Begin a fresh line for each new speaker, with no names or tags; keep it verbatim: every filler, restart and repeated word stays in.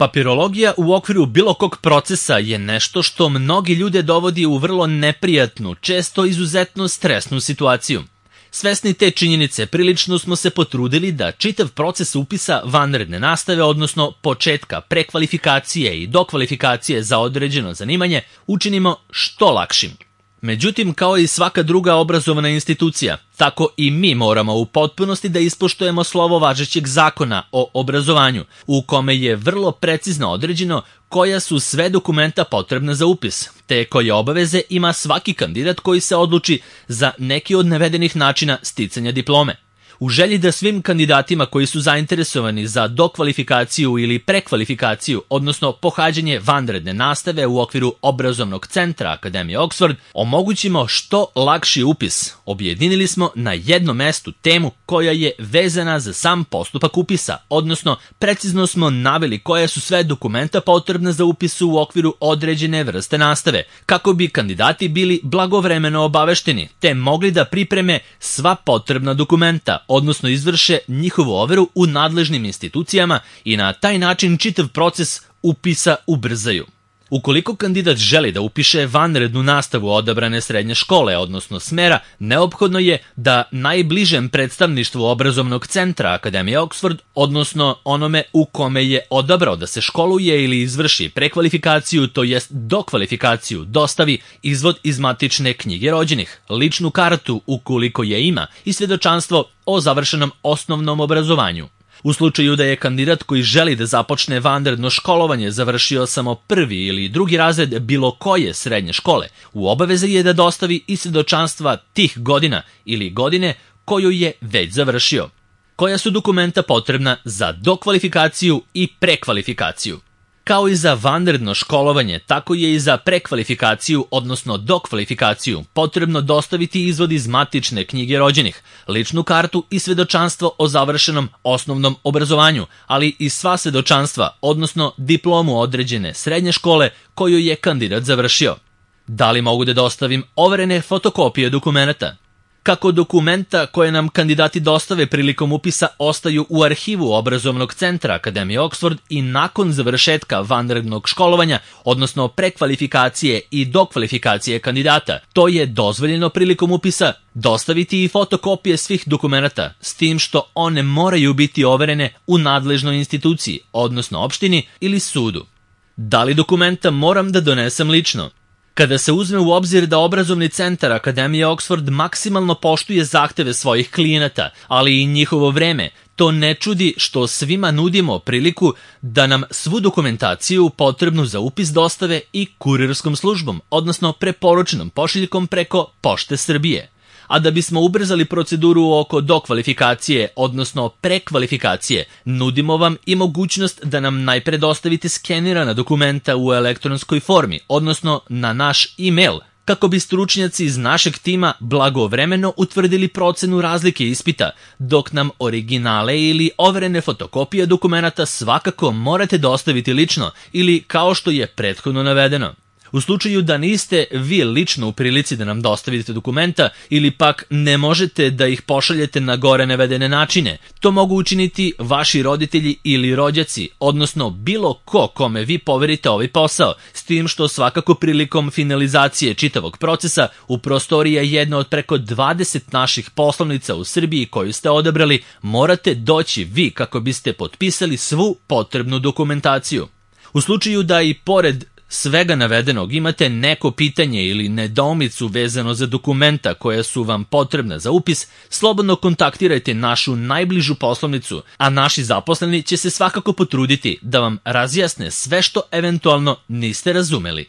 Papirologija u okviru bilo kog procesa je nešto što mnogi ljude dovodi u vrlo neprijatnu, često izuzetno stresnu situaciju. Svesni te činjenice, prilično smo se potrudili da čitav proces upisa vanredne nastave, odnosno početka prekvalifikacije i dokvalifikacije za određeno zanimanje, učinimo što lakšim. Međutim, kao i svaka druga obrazovna institucija, tako i mi moramo u potpunosti da ispoštujemo slovo važećeg zakona o obrazovanju, u kome je vrlo precizno određeno koja su sve dokumenta potrebna za upis, te koje obaveze ima svaki kandidat koji se odluči za neki od navedenih načina sticanja diplome. U želji da svim kandidatima koji su zainteresovani za dokvalifikaciju ili prekvalifikaciju, odnosno pohađanje vanredne nastave u okviru obrazovnog centra Akademije Oxford, omogućimo što lakši upis, objedinili smo na jednom mestu temu koja je vezana za sam postupak upisa, odnosno precizno smo naveli koja su sve dokumenta potrebna za upis u okviru određene vrste nastave, kako bi kandidati bili blagovremeno obavešteni, te mogli da pripreme sva potrebna dokumenta, odnosno izvrše njihovu overu u nadležnim institucijama i na taj način čitav proces upisa ubrzaju. Ukoliko kandidat želi da upiše vanrednu nastavu odabrane srednje škole, odnosno smera, neophodno je da najbližem predstavništvu obrazovnog centra Akademije Oxford, odnosno onome u kome je odabrao da se školuje ili izvrši prekvalifikaciju, to jest dokvalifikaciju, dostavi izvod iz matične knjige rođenih, ličnu kartu ukoliko je ima i svjedočanstvo o završenom osnovnom obrazovanju. U slučaju da je kandidat koji želi da započne vanredno školovanje završio samo prvi ili drugi razred bilo koje srednje škole, u obavezi je da dostavi i svjedočanstva tih godina ili godine koju je već završio. Koja su dokumenta potrebna za dokvalifikaciju i prekvalifikaciju? Kao i za vanredno školovanje, tako je i za prekvalifikaciju, odnosno dokvalifikaciju, potrebno dostaviti izvod iz matične knjige rođenih, ličnu kartu i svjedočanstvo o završenom osnovnom obrazovanju, ali i sva svjedočanstva, odnosno diplomu određene srednje škole koju je kandidat završio. Da li mogu da dostavim overene fotokopije dokumenta? Kako dokumenta koje nam kandidati dostave prilikom upisa ostaju u arhivu obrazovnog centra Akademije Oxford i nakon završetka vanrednog školovanja, odnosno prekvalifikacije i dokvalifikacije kandidata, to je dozvoljeno prilikom upisa dostaviti i fotokopije svih dokumenta, s tim što one moraju biti overene u nadležnoj instituciji, odnosno opštini ili sudu. Da li dokumenta moram da donesem lično? Kada se uzme u obzir da obrazovni centar Akademije Oxford maksimalno poštuje zahteve svojih klijenata, ali i njihovo vreme, to ne čudi što svima nudimo priliku da nam svu dokumentaciju potrebnu za upis dostave i kurirskom službom, odnosno preporučenom pošiljkom preko Pošte Srbije. A da bismo ubrzali proceduru oko dokvalifikacije, odnosno prekvalifikacije, nudimo vam i mogućnost da nam najpre dostavite skenirana dokumenta u elektronskoj formi, odnosno na naš e-mail, kako bi stručnjaci iz našeg tima blagovremeno utvrdili procenu razlike ispita, dok nam originale ili overene fotokopije dokumenta svakako morate dostaviti lično ili kao što je prethodno navedeno. U slučaju da niste vi lično u prilici da nam dostavite dokumenta ili pak ne možete da ih pošaljete na gore navedene načine, to mogu učiniti vaši roditelji ili rođaci, odnosno bilo ko kome vi poverite ovaj posao, s tim što svakako prilikom finalizacije čitavog procesa u prostoriji je jedna od preko dvadeset naših poslovnica u Srbiji koju ste odabrali, morate doći vi kako biste potpisali svu potrebnu dokumentaciju. U slučaju da i pored svega navedenog imate neko pitanje ili nedoumicu vezano za dokumenta koja su vam potrebna za upis, slobodno kontaktirajte našu najbližu poslovnicu, a naši zaposleni će se svakako potruditi da vam razjasne sve što eventualno niste razumeli.